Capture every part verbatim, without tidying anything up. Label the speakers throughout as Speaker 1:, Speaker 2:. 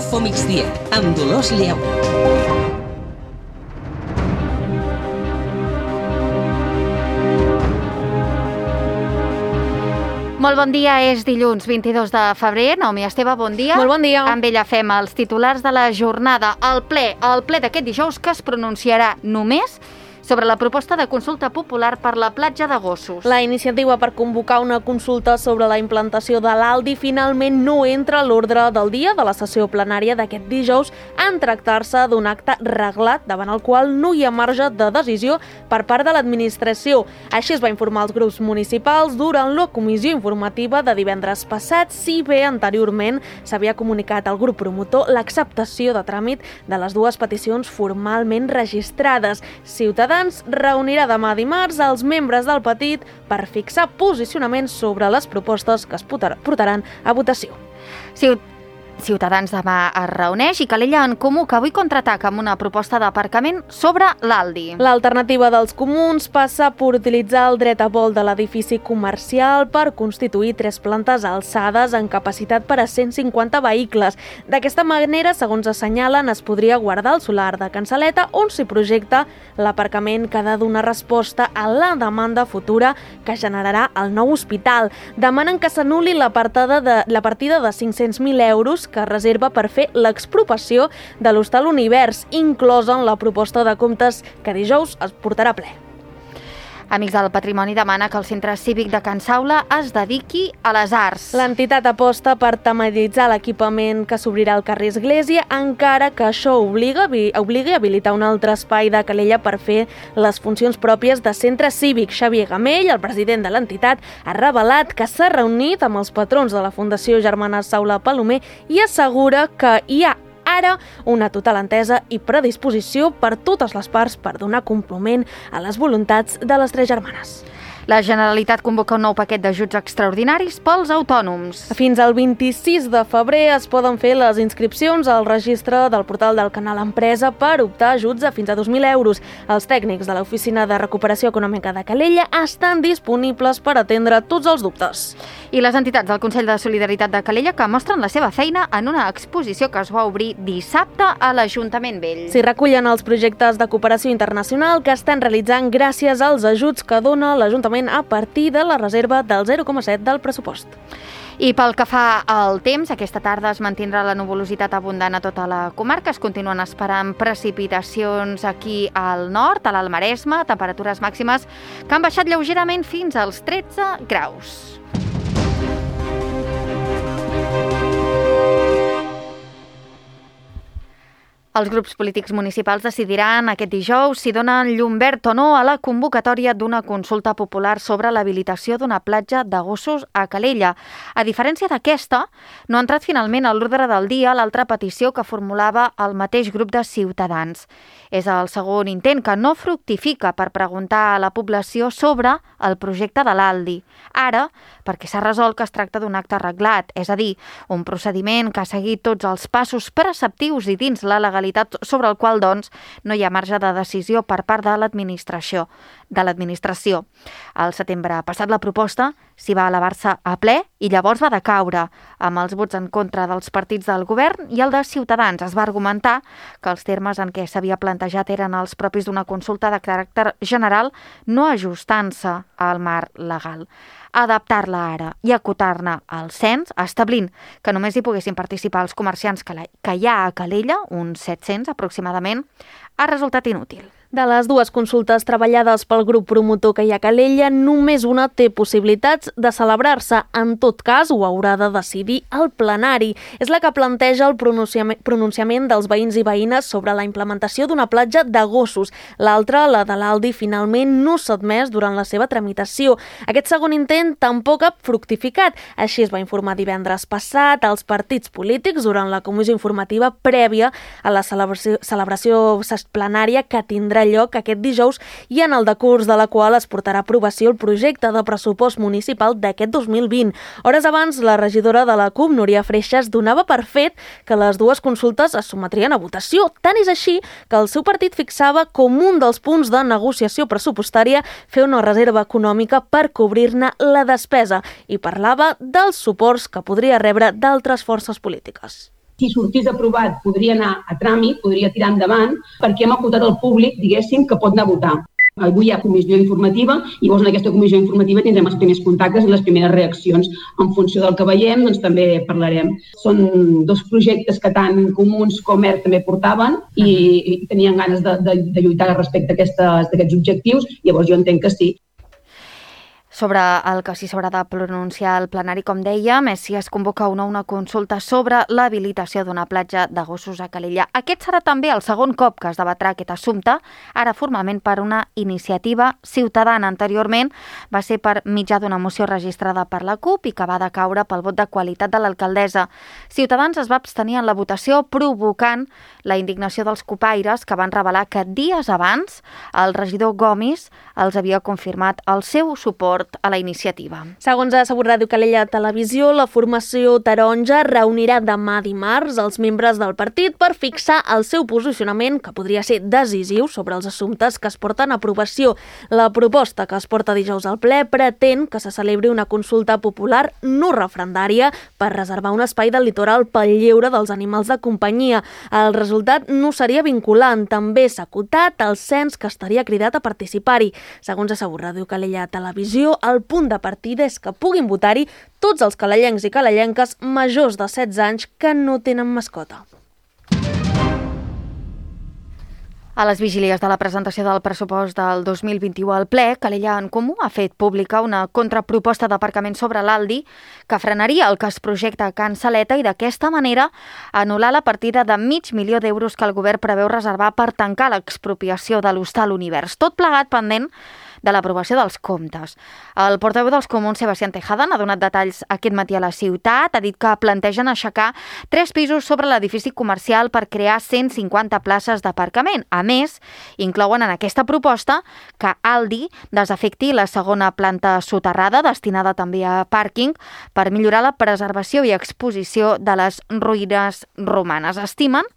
Speaker 1: Info Migdia, amb Dolors Lleó.
Speaker 2: Molt bon dia, és dilluns vint-i-dos de febrer. Naomi Esteve, bon dia.
Speaker 3: Molt bon dia.
Speaker 2: Amb ella fem els titulars de la jornada. El ple, el ple d'aquest dijous que es pronunciarà només sobre la proposta de consulta popular per la platja de Gossos.
Speaker 3: La iniciativa per convocar una consulta sobre la implantació de l'Aldi finalment no entra a l'ordre del dia de la sessió plenària d'aquest dijous en tractar-se d'un acte reglat davant el qual no hi ha marge de decisió per part de l'administració. Així es va informar als grups municipals durant la comissió informativa de divendres passat, si bé anteriorment s'havia comunicat al grup promotor l'acceptació de tràmit de les dues peticions formalment registrades. Ciutadans reunirà demà dimarts els membres del partit per fixar posicionaments sobre les propostes que es portaran a votació.
Speaker 2: Ciutadans demà es reuneix i Calella en Comú, que avui contraataca amb una proposta d'aparcament sobre l'Aldi.
Speaker 3: L'alternativa dels comuns passa per utilitzar el dret a vol de l'edifici comercial per constituir tres plantes alçades amb capacitat per a cent cinquanta vehicles. D'aquesta manera, segons assenyalen, es podria guardar el solar de Cansaleta on s'hi projecta l'aparcament que ha de donar resposta a la demanda futura que generarà el nou hospital. Demanen que s'anul·li la partida de, la partida de cinc-cents mil euros que reserva per fer l'expropiació de l'Hostal Univers, inclosa en la proposta de comptes que dijous es portarà a ple.
Speaker 2: Amics del Patrimoni demana que el Centre Cívic de Can Saula es dediqui a les arts.
Speaker 3: L'entitat aposta per tematitzar l'equipament que s'obrirà al carrer Església, encara que això obliga, obligui a habilitar un altre espai de Calella per fer les funcions pròpies de centre cívic. Xavier Gamell, el president de l'entitat, ha revelat que s'ha reunit amb els patrons de la Fundació Germanes Saula Palomer i assegura que hi ha ara una total entesa i predisposició per totes les parts per donar compliment a les voluntats de les tres germanes.
Speaker 2: La Generalitat convoca un nou paquet d'ajuts extraordinaris pels autònoms.
Speaker 3: Fins al vint-i-sis de febrer es poden fer les inscripcions al registre del portal del Canal Empresa per optar ajuts de fins a dos mil euros. Els tècnics de l'Oficina de Recuperació Econòmica de Calella estan disponibles per atendre tots els dubtes.
Speaker 2: I les entitats del Consell de Solidaritat de Calella que mostren la seva feina en una exposició que es va obrir dissabte a l'Ajuntament Vell.
Speaker 3: S'hi recullen els projectes de cooperació internacional que estan realitzant gràcies als ajuts que dona l'Ajuntament a partir de la reserva del zero coma set del pressupost.
Speaker 2: I pel que fa al temps, aquesta tarda es mantindrà la nuvolositat abundant a tota la comarca. Es continuen esperant precipitacions aquí al nord, a l'Alt Maresme, temperatures màximes que han baixat lleugerament fins als tretze graus. Els grups polítics municipals decidiran aquest dijous si donen llum verd o no a la convocatòria d'una consulta popular sobre l'habilitació d'una platja de Gossos a Calella. A diferència d'aquesta, no ha entrat finalment a l'ordre del dia l'altra petició que formulava el mateix grup de Ciutadans. És el segon intent que no fructifica per preguntar a la població sobre el projecte de l'Aldi. Ara, perquè s'ha resolt que es tracta d'un acte arreglat, és a dir, un procediment que ha seguit tots els passos preceptius i dins la legalitat sobre el qual, doncs, no hi ha marge de decisió per part de l'administració. de l'administració. Al setembre passat la proposta s'hi va elevar-se a ple i llavors va decaure amb els vots en contra dels partits del govern i el de Ciutadans. Es va argumentar que els termes en què s'havia plantejat eren els propis d'una consulta de caràcter general, no ajustant-se al marc legal. Adaptar-la ara i acotar-ne al cens, establint que només hi poguessin participar els comerciants que, la, que hi ha a Calella, uns set-cents aproximadament, ha resultat inútil.
Speaker 3: De les dues consultes treballades pel grup promotor que hi ha a Calella, només una té possibilitats de celebrar-se. En tot cas, ho haurà de decidir el plenari. És la que planteja el pronunciament, pronunciament dels veïns i veïnes sobre la implementació d'una platja de gossos. L'altra, la de l'Aldi, finalment no s'ha admès durant la seva tramitació. Aquest segon intent tampoc ha fructificat. Així es va informar divendres passat als partits polítics durant la comissió informativa prèvia a la celebració, celebració plenària que tindrà lloc aquest dijous i en el decurs de la qual es portarà a aprovació el projecte de pressupost municipal d'aquest dos mil vint. Hores abans, la regidora de la C U P, Núria Freixas, donava per fet que les dues consultes es sometrien a votació. Tant és així que el seu partit fixava com un dels punts de negociació pressupostària fer una reserva econòmica per cobrir-ne la despesa i parlava dels suports que podria rebre d'altres forces polítiques.
Speaker 4: Si sortís aprovat, podria anar a tràmit, podria tirar endavant, perquè hem acotat al públic, diguéssim, que pot anar a votar. Avui hi ha comissió informativa i llavors en aquesta comissió informativa tindrem els primers contactes i les primeres reaccions. En funció del que veiem, doncs també parlarem. Són dos projectes que tant Comuns com ERC també portaven i, i tenien ganes de, de, de lluitar respecte a aquests objectius, llavors jo entenc que sí.
Speaker 2: Sobre el que sí s'haurà de pronunciar al plenari, com dèiem, és si es convoca o no una consulta sobre l'habilitació d'una platja de gossos a Calella. Aquest serà també el segon cop que es debatrà aquest assumpte, ara formalment per una iniciativa ciutadana. Anteriorment va ser per mitjà d'una moció registrada per la CUP i que va decaure pel vot de qualitat de l'alcaldessa. Ciutadans es va abstenir en la votació, provocant la indignació dels copaires, que van revelar que dies abans el regidor Gomis els havia confirmat el seu suport a la iniciativa.
Speaker 3: Segons ha assegurat Ràdio Calella Televisió, la formació taronja reunirà demà dimarts els membres del partit per fixar el seu posicionament, que podria ser decisiu sobre els assumptes que es porten a aprovació. La proposta que es porta dijous al ple pretén que se celebri una consulta popular no referendària per reservar un espai del litoral pel lleure dels animals de companyia. El resultat no seria vinculant. També s'ha acotat el cens que estaria cridat a participar-hi. Segons ha assegurat Ràdio Calella Televisió, el punt de partida és que puguin votar-hi tots els calellencs i calellenques majors de setze anys que no tenen mascota.
Speaker 2: A les vigílies de la presentació del pressupost del dos mil vint-i-u al ple, Calella en Comú ha fet pública una contraproposta d'aparcament sobre l'Aldi que frenaria el que es projecta a Can Saleta i d'aquesta manera anul·lar la partida de mig milió d'euros que el govern preveu reservar per tancar l'expropiació de l'Hostal Univers. Tot plegat pendent de l'aprovació dels comptes. El portaveu dels Comuns, Sebastián Tejada, n'ha donat detalls aquest matí a la ciutat. Ha dit que plantegen aixecar tres pisos sobre l'edifici comercial per crear cent cinquanta places d'aparcament. A més, inclouen en aquesta proposta que Aldi desafecti la segona planta soterrada, destinada també a pàrquing, per millorar la preservació i exposició de les ruïnes romanes. Estimen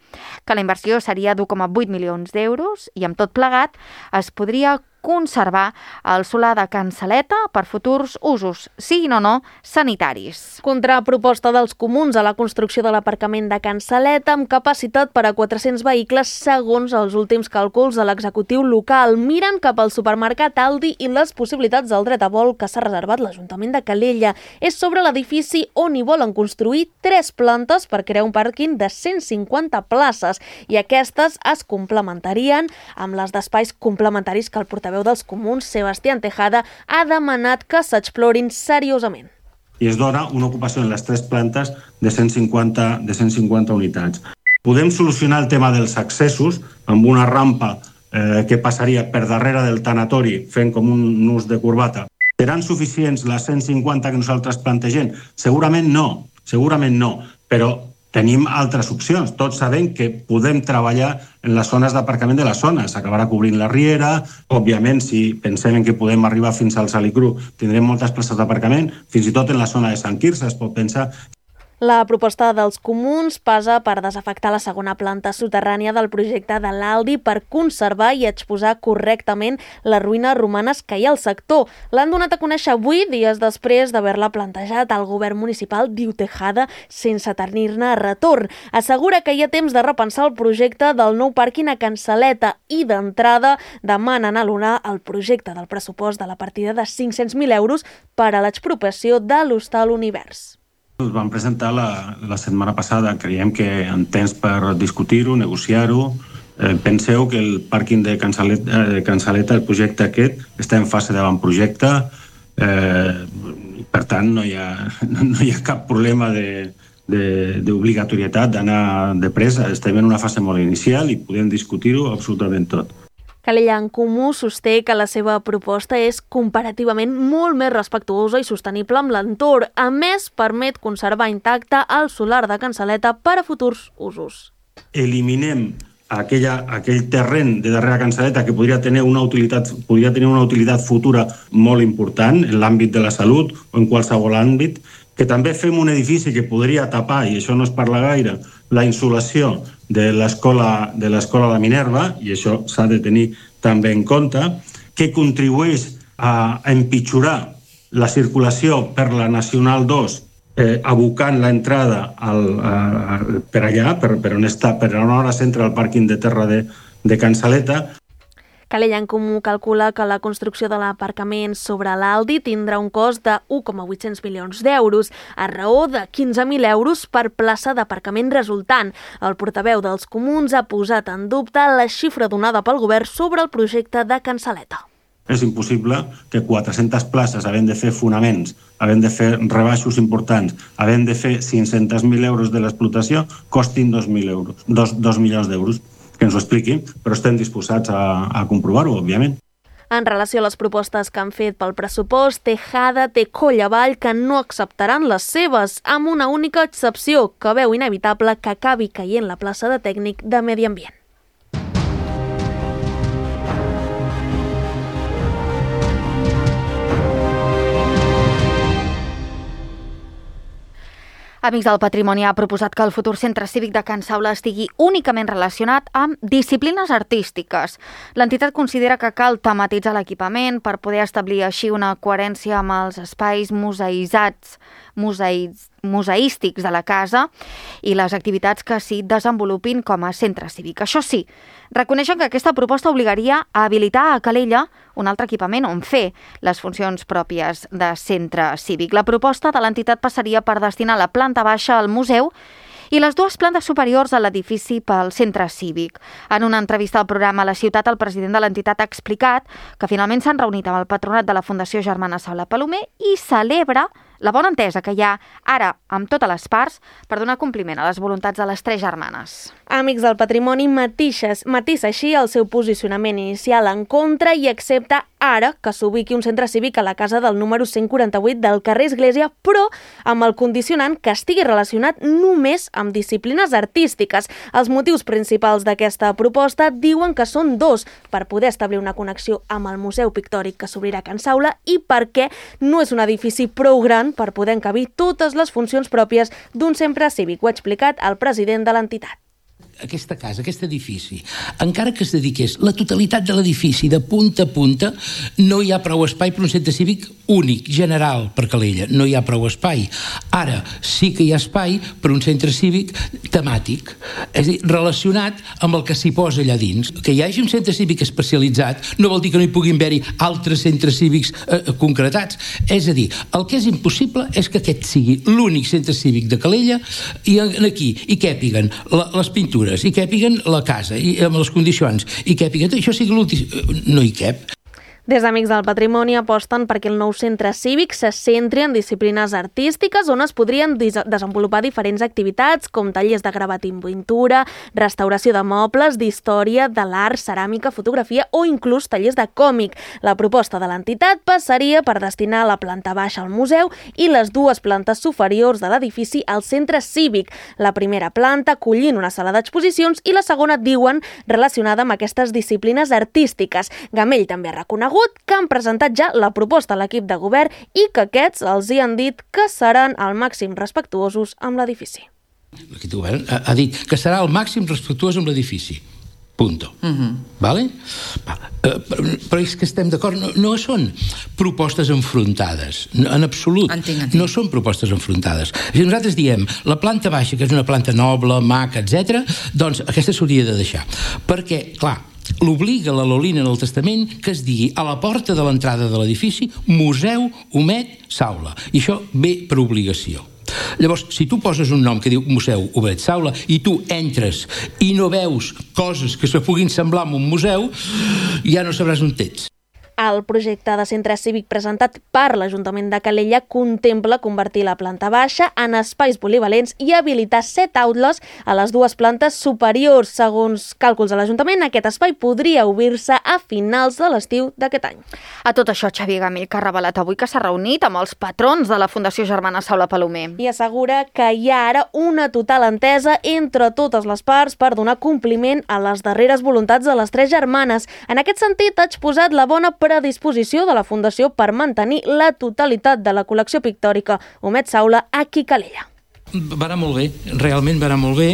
Speaker 2: que la inversió seria d'u coma vuit milions d'euros i amb tot plegat es podria conservar el solar de Can Saleta per futurs usos, siguin o no sanitaris.
Speaker 3: Contraproposta dels Comuns a la construcció de l'aparcament de Can Saleta amb capacitat per a quatre-cents vehicles segons els últims càlculs de l'executiu local. Miren cap al supermercat Aldi i les possibilitats del dret a vol que s'ha reservat l'Ajuntament de Calella. És sobre l'edifici on hi volen construir tres plantes per crear un pàrquing de cent cinquanta places i aquestes es complementarien amb les d'espais complementaris que el portaveu dels Comuns, Sebastián Tejada, ha demanat que s'explorin seriosament.
Speaker 5: I es dona una ocupació en les tres plantes de cent cinquanta, de cent cinquanta unitats. Podem solucionar el tema dels accessos amb una rampa eh, que passaria per darrere del tanatori fent com un nus de corbata. Seran suficients les cent cinquanta que nosaltres plantegem? Segurament no, segurament no, però tenim altres opcions. Tots sabem que podem treballar en les zones d'aparcament de les zones. S'acabarà cobrint la riera. Òbviament, si pensem que podem arribar fins al Salicru, tindrem moltes places d'aparcament. Fins i tot en la zona de Sant Quirze es pot pensar.
Speaker 3: La proposta dels Comuns passa per desafectar la segona planta soterrània del projecte de l'Aldi per conservar i exposar correctament les ruïnes romanes que hi ha al sector. L'han donat a conèixer avui, dies després d'haver-la plantejat al govern municipal, diu Tejada, sense tenir-ne retorn. Assegura que hi ha temps de repensar el projecte del nou pàrquing a Can Saleta i, d'entrada, demanen alunar el projecte del pressupost de la partida de cinc-cents mil euros per a l'expropiació de l'Hostal Univers.
Speaker 5: Ens vam presentar la, la setmana passada. Creiem que en temps per discutir-ho, negociar-ho. Eh, penseu que el pàrquing de Can Saleta, de Can Saleta, el projecte aquest, està en fase d'avantprojecte. Eh, per tant, no hi ha, no hi ha cap problema de, de, d'obligatorietat d'anar de pressa. Estem en una fase molt inicial i podem discutir-ho absolutament tot.
Speaker 3: Calella en Comú sosté que la seva proposta és comparativament molt més respectuosa i sostenible amb l'entorn. A més, permet conservar intacte el solar de Can Saleta per a futurs usos.
Speaker 5: Eliminem aquella, aquell terreny de darrere Can Saleta que podria tenir una utilitat, podria tenir una utilitat futura molt important en l'àmbit de la salut o en qualsevol àmbit, que també fem un edifici que podria tapar, i això no es parla gaire, la insolació de l'escola de l'escola de Minerva, i això s'ha de tenir també en compte, que contribueix a empitjorar la circulació per la Nacional dos eh, abocant l'entrada al, a, a, per allà, per, per on està, per on ara s'entra al pàrquing de terra de, de Can Saleta.
Speaker 3: Calella en Comú calcula que la construcció de l'aparcament sobre l'Aldi tindrà un cost de un coma vuit-cents milions d'euros, a raó de quinze mil euros per plaça d'aparcament resultant. El portaveu dels comuns ha posat en dubte la xifra donada pel govern sobre el projecte de Can Saleta.
Speaker 5: És impossible que quatre-centes places, havent de fer fonaments, havent de fer rebaixos importants, havent de fer cinc-cents mil euros de l'explotació, costin dos mil euros, dos, dos milions d'euros. Que ens ho expliquin, però estem disposats a, a comprovar-ho, òbviament.
Speaker 3: En relació a les propostes que han fet pel pressupost, Tejada té coll avall que no acceptaran les seves, amb una única excepció, que veu inevitable que acabi caient la plaça de tècnic de Medi Ambient.
Speaker 2: Amics del Patrimoni ha proposat que el futur centre cívic de Can Saula estigui únicament relacionat amb disciplines artístiques. L'entitat considera que cal tematitzar l'equipament per poder establir així una coherència amb els espais museïtzats, museïts, museístics de la casa i les activitats que s'hi desenvolupin com a centre cívic. Això sí, reconeixen que aquesta proposta obligaria a habilitar a Calella un altre equipament on fer les funcions pròpies de centre cívic. La proposta de l'entitat passaria per destinar la planta baixa al museu i les dues plantes superiors a l'edifici pel centre cívic. En una entrevista al programa La Ciutat, el president de l'entitat ha explicat que finalment s'han reunit amb el patronat de la Fundació Germana Saula Palomer i celebra la bona entesa que hi ha ara amb totes les parts per donar compliment a les voluntats de les tres germanes.
Speaker 3: Amics del Patrimoni matissa així el seu posicionament inicial en contra i accepta ara que s'ubiqui un centre cívic a la casa del número cent quaranta-vuit del carrer Església, però amb el condicionant que estigui relacionat només amb disciplines artístiques. Els motius principals d'aquesta proposta diuen que són dos: per poder establir una connexió amb el Museu Pictòric que s'obrirà a Can Saula i perquè no és un edifici prou gran per poder encabir totes les funcions pròpies d'un centre cívic. Ho ha explicat el president de l'entitat.
Speaker 6: Aquesta casa, aquest edifici, encara que es dediqués la totalitat de l'edifici de punta a punta, no hi ha prou espai per un centre cívic únic, general, per Calella. No hi ha prou espai. Ara sí que hi ha espai per un centre cívic temàtic, és a dir, relacionat amb el que s'hi posa allà dins. Que hi hagi un centre cívic especialitzat no vol dir que no hi puguin haver-hi altres centres cívics eh, concretats. És a dir, el que és impossible és que aquest sigui l'únic centre cívic de Calella i aquí hi càpiguen les pintures, i càpiguen la casa, i amb les condicions, i càpiguen, això sigui l'últim, no hi cap.
Speaker 3: Des d'Amics del Patrimoni aposten perquè el nou centre cívic se centri en disciplines artístiques on es podrien desenvolupar diferents activitats com tallers de gravat i pintura, restauració de mobles, d'història, de l'art, ceràmica, fotografia o inclús tallers de còmic. La proposta de l'entitat passaria per destinar la planta baixa al museu i les dues plantes superiors de l'edifici al centre cívic. La primera planta acollint una sala d'exposicions i la segona, diuen, relacionada amb aquestes disciplines artístiques. Gamell també ha reconegut que han presentat ja la proposta a l'equip de govern i que aquests els hi han dit que seran al màxim respectuosos amb l'edifici.
Speaker 6: L'equip de govern ha, ha dit que serà al màxim respectuós amb l'edifici. Punto. Uh-huh. Vale? Va. Uh, però, però és que estem d'acord, no, no són propostes enfrontades, no, en absolut.
Speaker 1: Entenc, entenc.
Speaker 6: No són propostes enfrontades. Si nosaltres diem la planta baixa, que és una planta noble, maca, etcètera, doncs aquesta s'hauria de deixar. Perquè, clar, l'obliga la Lolina en el testament que es digui a la porta de l'entrada de l'edifici Museu Omet Saula. I això ve per obligació. Llavors, si tu poses un nom que diu Museu Omet Saula i tu entres i no veus coses que se puguin semblar a un museu, ja no sabràs on ets.
Speaker 3: El projecte de centre cívic presentat per l'Ajuntament de Calella contempla convertir la planta baixa en espais polivalents i habilitar set aules a les dues plantes superiors. Segons càlculs de l'Ajuntament, aquest espai podria obrir-se a finals de l'estiu d'aquest any.
Speaker 2: A tot això, Xavier Gamell, que ha revelat avui que s'ha reunit amb els patrons de la Fundació Germana Saula Palomer.
Speaker 3: I assegura que hi ha ara una total entesa entre totes les parts per donar compliment a les darreres voluntats de les tres germanes. En aquest sentit, ha exposat la bona predisposició de la Fundació per mantenir la totalitat de la col·lecció pictòrica Omet Saula aquí a Calella.
Speaker 6: Va anar molt bé, realment va anar molt bé,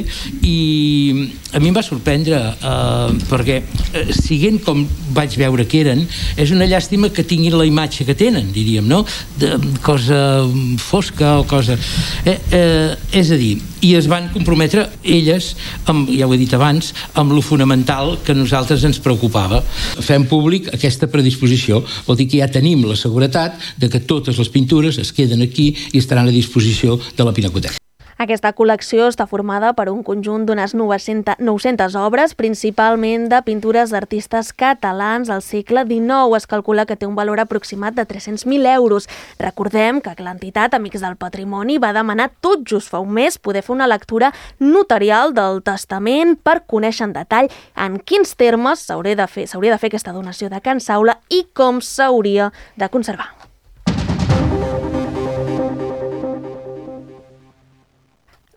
Speaker 6: i a mi em va sorprendre eh, perquè eh, siguent com vaig veure que eren, és una llàstima que tinguin la imatge que tenen, diríem, no? De cosa fosca o cosa... Eh, eh, és a dir, i es van comprometre elles, amb, ja ho he dit abans, amb lo fonamental que a nosaltres ens preocupava. Fem públic aquesta predisposició, vol dir que ja tenim la seguretat de que totes les pintures es queden aquí i estaran a disposició de la Pinacoteca.
Speaker 3: Aquesta col·lecció està formada per un conjunt d'unes nou-centes obres, principalment de pintures d'artistes catalans del segle dinou. Es calcula que té un valor aproximat de tres-cents mil euros. Recordem que l'entitat Amics del Patrimoni va demanar tot just fa un mes poder fer una lectura notarial del testament per conèixer en detall en quins termes s'hauria de fer, s'hauria de fer aquesta donació de Can Saula i com s'hauria de conservar.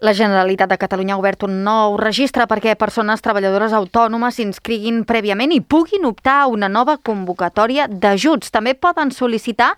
Speaker 2: La Generalitat de Catalunya ha obert un nou registre perquè persones treballadores autònomes s'inscriguin prèviament i puguin optar a una nova convocatòria d'ajuts. També poden sol·licitar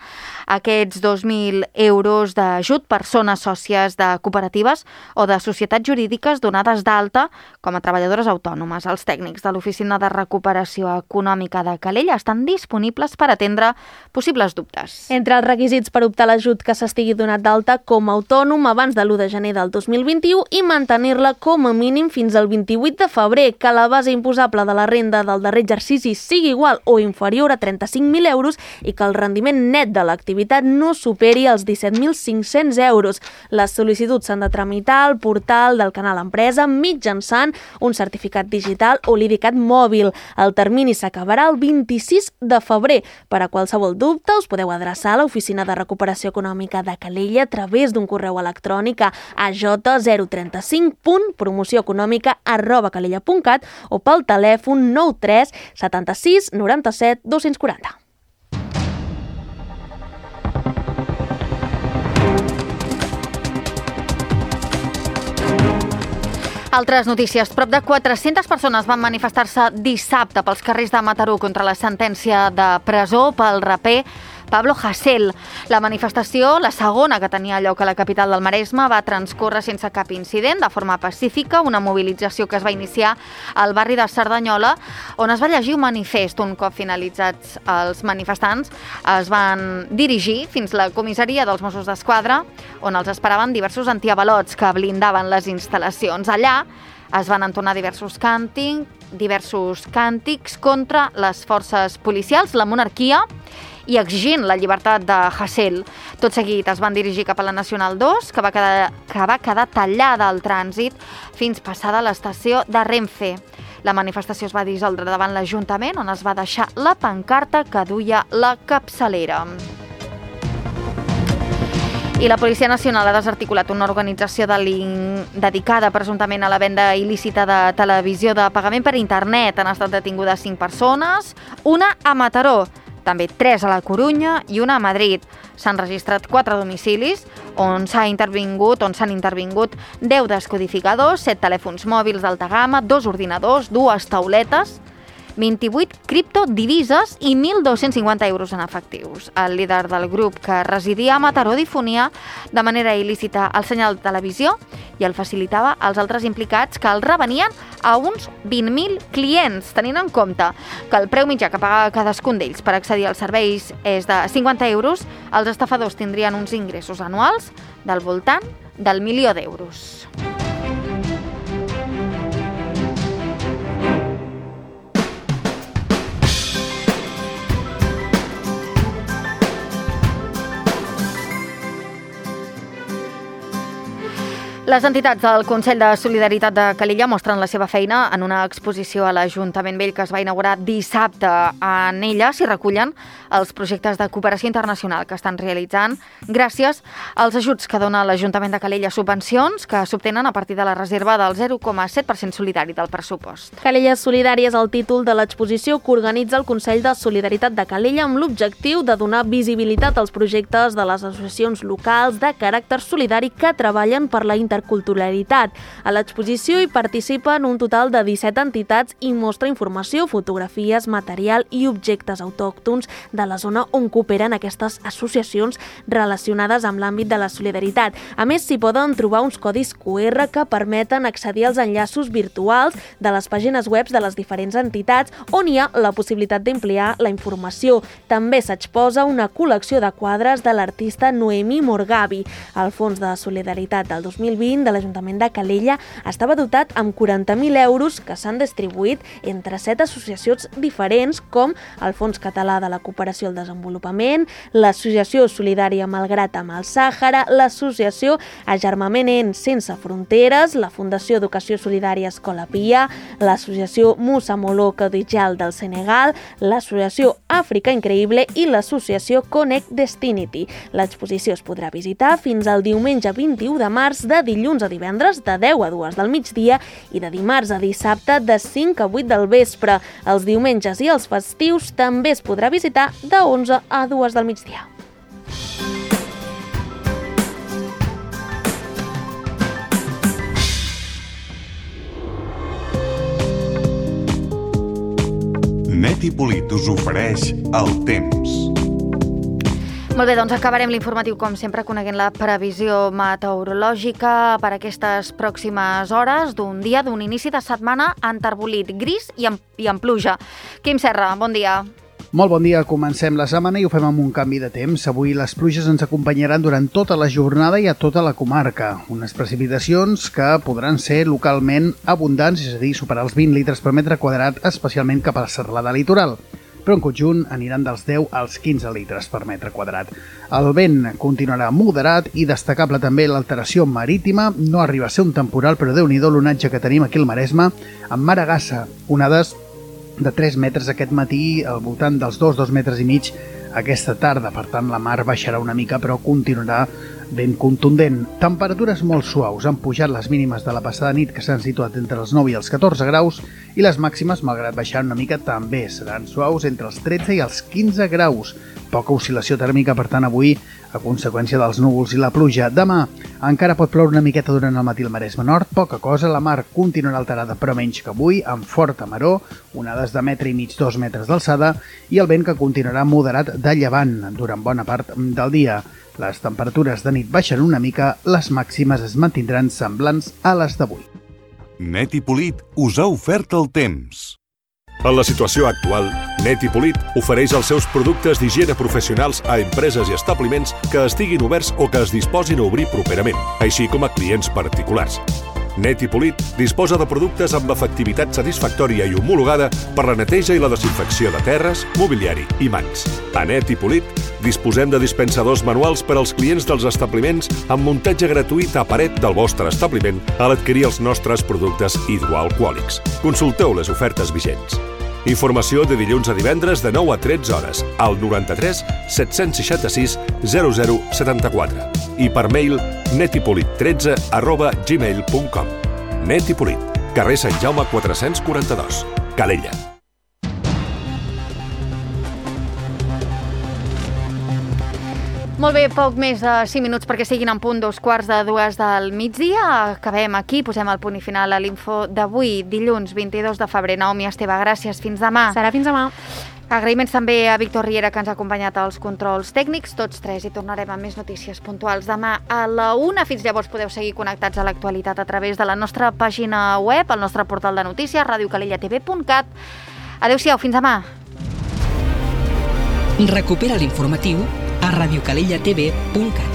Speaker 2: aquests dos mil euros d'ajut persones sòcies de cooperatives o de societats jurídiques donades d'alta com a treballadores autònomes. Els tècnics de l'Oficina de Recuperació Econòmica de Calella estan disponibles per atendre possibles dubtes.
Speaker 3: Entre els requisits per optar a l'ajut que s'estigui donat d'alta com a autònom abans de l'u de gener del dos mil vint i mantenir-la com a mínim fins al vint-i-vuit de febrer, que la base imposable de la renda del darrer exercici sigui igual o inferior a trenta-cinc mil euros i que el rendiment net de l'activitat no superi els disset mil cinc-cents euros. Les sol·licituds s'han de tramitar al portal del Canal Empresa mitjançant un certificat digital o l'IDICAT mòbil. El termini s'acabarà el vint-i-sis de febrer. Per a qualsevol dubte us podeu adreçar a l'Oficina de Recuperació Econòmica de Calella a través d'un correu electrònic a a j zero trenta cinc punt promoció econòmica arroba calella punt cat o pel telèfon nou tres setanta-sis noranta-set dos-cents quaranta.
Speaker 2: Altres notícies. Prop de quatre-centes persones van manifestar-se dissabte pels carrers de Mataró contra la sentència de presó pel raper Pablo Hasél. La manifestació, la segona que tenia lloc a la capital del Maresme, va transcórrer sense cap incident, de forma pacífica, una mobilització que es va iniciar al barri de Cerdanyola, on es va llegir un manifest. Un cop finalitzats els manifestants, es van dirigir fins a la comissaria dels Mossos d'Esquadra, on els esperaven diversos antiavalots que blindaven les instal·lacions. Allà es van entonar diversos càntics, diversos càntics contra les forces policials, la monarquia i exigint la llibertat de Hasél. Tot seguit es van dirigir cap a la Nacional dos, que va quedar, que va quedar tallada al trànsit fins passada l'estació de Renfe. La manifestació es va dissoldre davant l'Ajuntament, on es va deixar la pancarta que duia la capçalera. I la Policia Nacional ha desarticulat una organització dedicada presumptament a la venda il·lícita de televisió de pagament per internet. Han estat detingudes cinc persones, una a Mataró, també tres a la Corunya i una a Madrid. S'han registrat quatre domicilis on s'ha intervingut, on s'han intervingut deu descodificadors, set telèfons mòbils d'alta gamma, dos ordinadors, dues tauletes, vint-i-vuit criptodivises i mil dos-cents cinquanta euros en efectius. El líder del grup que residia a Mataró difonia de manera il·lícita el senyal de televisió i el facilitava als altres implicats, que el revenien a uns vint mil clients, tenint en compte que el preu mitjà que paga cadascun d'ells per accedir als serveis és de cinquanta euros. Els estafadors tindrien uns ingressos anuals del voltant del milió d'euros. Les entitats del Consell de Solidaritat de Calella mostren la seva feina en una exposició a l'Ajuntament Vell que es va inaugurar dissabte. En ella s'hi recullen els projectes de cooperació internacional que estan realitzant gràcies als ajuts que dona l'Ajuntament de Calella, subvencions que s'obtenen a partir de la reserva del zero coma set per cent solidari del pressupost.
Speaker 3: Calella Solidària és el títol de l'exposició que organitza el Consell de Solidaritat de Calella amb l'objectiu de donar visibilitat als projectes de les associacions locals de caràcter solidari que treballen per la intercomunicació interculturalitat. A l'exposició hi participen un total de disset entitats i mostra informació, fotografies, material i objectes autòctons de la zona on cooperen aquestes associacions relacionades amb l'àmbit de la solidaritat. A més, s'hi poden trobar uns codis cu erre que permeten accedir als enllaços virtuals de les pàgines web de les diferents entitats on hi ha la possibilitat d'ampliar la informació. També s'exposa una col·lecció de quadres de l'artista Noemí Morgavi. El Fons de Solidaritat del dos mil vint de l'Ajuntament de Calella estava dotat amb quaranta mil euros que s'han distribuït entre set associacions diferents com el Fons Català de la Cooperació al Desenvolupament, l'Associació Solidària Malgrat amb el Sàhara, l'Associació Agermament Sense Fronteres, la Fundació Educació Solidària Escola Pia, l'Associació Musa Molo Codijal del Senegal, l'Associació Àfrica Increïble i l'associació Connect Destinity. L'exposició es podrà visitar fins al diumenge vint-i-u de març, de dilluns a divendres de deu a dues del migdia i de dimarts a dissabte de cinc a vuit del vespre. Els diumenges i els festius també es podrà visitar de onze a dues del migdia.
Speaker 7: Net i Polit us ofereix el temps.
Speaker 2: Molt bé, doncs acabarem l'informatiu, com sempre, coneguent la previsió meteorològica per aquestes pròximes hores d'un dia, d'un inici de setmana enterbolit, gris i amb, i amb pluja. Quim Serra, bon dia.
Speaker 8: Molt bon dia, comencem la setmana i ho fem amb un canvi de temps. Avui les pluges ens acompanyaran durant tota la jornada i a tota la comarca. Unes precipitacions que podran ser localment abundants, és a dir, superar els vint litres per metre quadrat, especialment cap a la serralada litoral. Però en conjunt aniran dels deu als quinze litres per metre quadrat. El vent continuarà moderat i destacable també l'alteració marítima. No arriba a ser un temporal, però déu-n'hi-do l'onatge que tenim aquí al Maresme, amb Maragassa, onades de tres metres aquest matí, al voltant dels dos, dos metres i mig aquesta tarda. Per tant, la mar baixarà una mica, però continuarà ben contundent. Temperatures molt suaus. Han pujat les mínimes de la passada nit, que s'han situat entre els nou i els catorze graus, i les màximes, malgrat baixar una mica, també seran suaus entre els tretze i els quinze graus. Poca oscil·lació tèrmica, per tant, avui, a conseqüència dels núvols i la pluja. Demà encara pot ploure una miqueta durant el matí al Maresme Nord, poca cosa. La mar continuarà alterada, però menys que avui, amb forta maror, onades de metre i mig, dos metres d'alçada, i el vent que continuarà moderat de llevant durant bona part del dia. Les temperatures de nit baixen una mica, les màximes es mantindran semblants a les d'avui.
Speaker 7: Net i Polit us ha ofert el temps.
Speaker 9: En la situació actual, Net i Polit ofereix els seus productes d'higiene professionals a empreses i establiments que estiguin oberts o que es disposin a obrir properament, així com a clients particulars. Net i Polit disposa de productes amb efectivitat satisfactòria i homologada per la neteja i la desinfecció de terres, mobiliari i mans. A Net i Polit disposem de dispensadors manuals per als clients dels establiments amb muntatge gratuït a paret del vostre establiment a l'adquirir els nostres productes hidroalcohòlics. Consulteu les ofertes vigents. Informació de dilluns a divendres de nou a tretze hores al noranta-tres set-cents seixanta-sis zero zero setanta-quatre i per mail netipolit tretze arroba gmail punt com. Net i Polit, carrer Sant Jaume quatre-cents quaranta-dos, Calella.
Speaker 2: Molt bé, poc més de cinc minuts perquè siguin en punt dos quarts de dues del migdia. Acabem aquí, posem el punt i final a l'info d'avui, dilluns vint-i-dos de febrer. Naomi Esteve, gràcies. Fins demà.
Speaker 3: Serà fins demà.
Speaker 2: Agraïments també a Víctor Riera, que ens ha acompanyat als controls tècnics, tots tres, i tornarem amb més notícies puntuals demà a la una. Fins llavors podeu seguir connectats a l'actualitat a través de la nostra pàgina web, el nostre portal de notícies, radio calella t v punt cat. Adéu-siau, fins demà.
Speaker 1: Recupera l'informatiu a radio calella t v punt cat.